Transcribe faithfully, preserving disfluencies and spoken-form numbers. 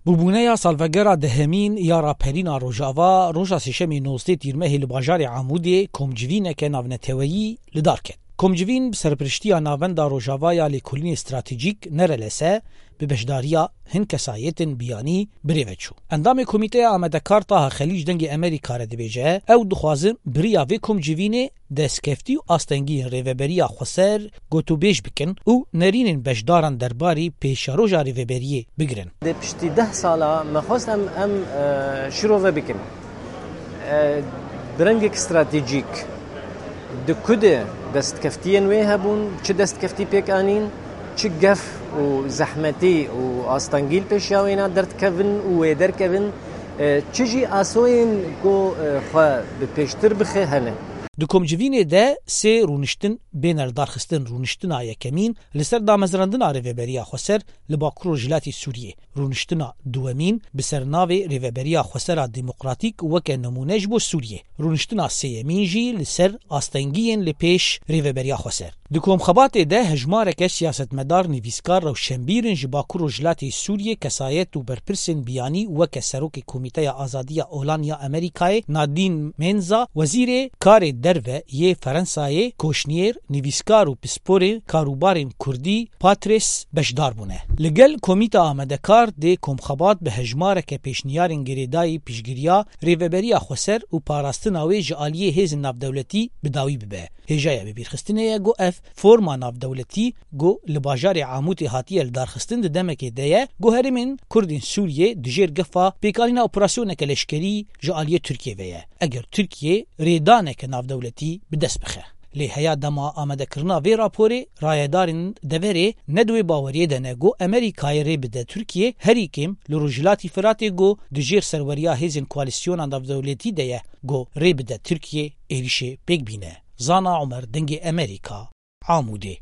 Bûbûneya salvegera dehemîn ya raperîna Rojava, roja Sêşemê nozdeh Tîrmehê li bajarê Amûdê komcivîneke navneteweyî li dar ket. Komcivîn bi serpiriştiya Navenda Rojava ya Lêkolînê Stratejîk, nerelese, bi beşdariya hin kesayetên biyanî bi rê ve çû. Endamê Komîteya Amadekar Taha Xelîc Dengê Amerîka re dibêje, ew dixwazin bi riya vê komcivînê destkeftî û astengiyên Rêveberiya Xweser gotûbêj bikin û nerînên beşdaran derbarî pêşeroja rêveberiyê bigirin. Dê piştî deh sala me xwest em, em, e, şirove bikin. E, bi rengek stratejîk di ku de destkeftiyên wê hebûn, çi destkeftî pêk anîn, çi gef û zehmetî û astengî li pêşiya wêna derdikevin û wê derkevin, e, çi jî asoyên ku, e, xwe bi pêştir bixe hene. Di komcivînê de sê rûniştin bêne li darxistin. Rûniştina yekemîn li ser damezrandina Rêveberiya Xweser li Bakur Rojhilatê Sûriyê. Rûniştina duwemîn bi ser navê Rêveberiya Xweser a Demokratîk weke nimûne ji bo Sûriyê. Rûniştina sêyemîn jî li ser astengiyên li pêş Rêveberiya Xweser. Di komxebatê de hejmareke siyasetmedar, nivîskar, rewşenbîr in ji Bakur Rojhilatê Sûriyê, kesayet û berpirsên biyanî weke Serokê Komîteya Azadiya Olan ya Amerîkayê Nadîn Menza, Wezîrê Karê Derve yê Ferensayê Koşniyêr, nivîskar û pisporê karûbarên Kurdî Patres beşdar bûne. Li gel Komîta Amadekar dê komxebat bi hejmareke pêşniyarên girêdayî piştgiriya Rêveberiya Xweser û parastina wê ji aliyê hêzên navdewletî bi dawî bibe. Hêjaya bibîrxistinê ye ku ev forma navdewletî ku li bajarê Amûtê hatiye li darxistin di demekê de ye ku herêmên Kurdên Sûriyê dijêr gefa pêkanîna operasyoneke leşkerî ji aliyê Tirkiyê ve ye. Eger Tirkiye rêdaneke navdewletî bi dest bixe. Lê heya dema amadekirina vê raporê, rayedarên deverê ne di wê baweriyê de ne ku Amerîkayê rê bide Tirkiye, herî kêm li Rojhilatî Firatê ku dijêr serweriya hêzên koalîsyona navdewletî de ye ku rê bide Tirkiye êrişê pêk bîne. Zana Omer, Dengê Amerîka, Amûdê.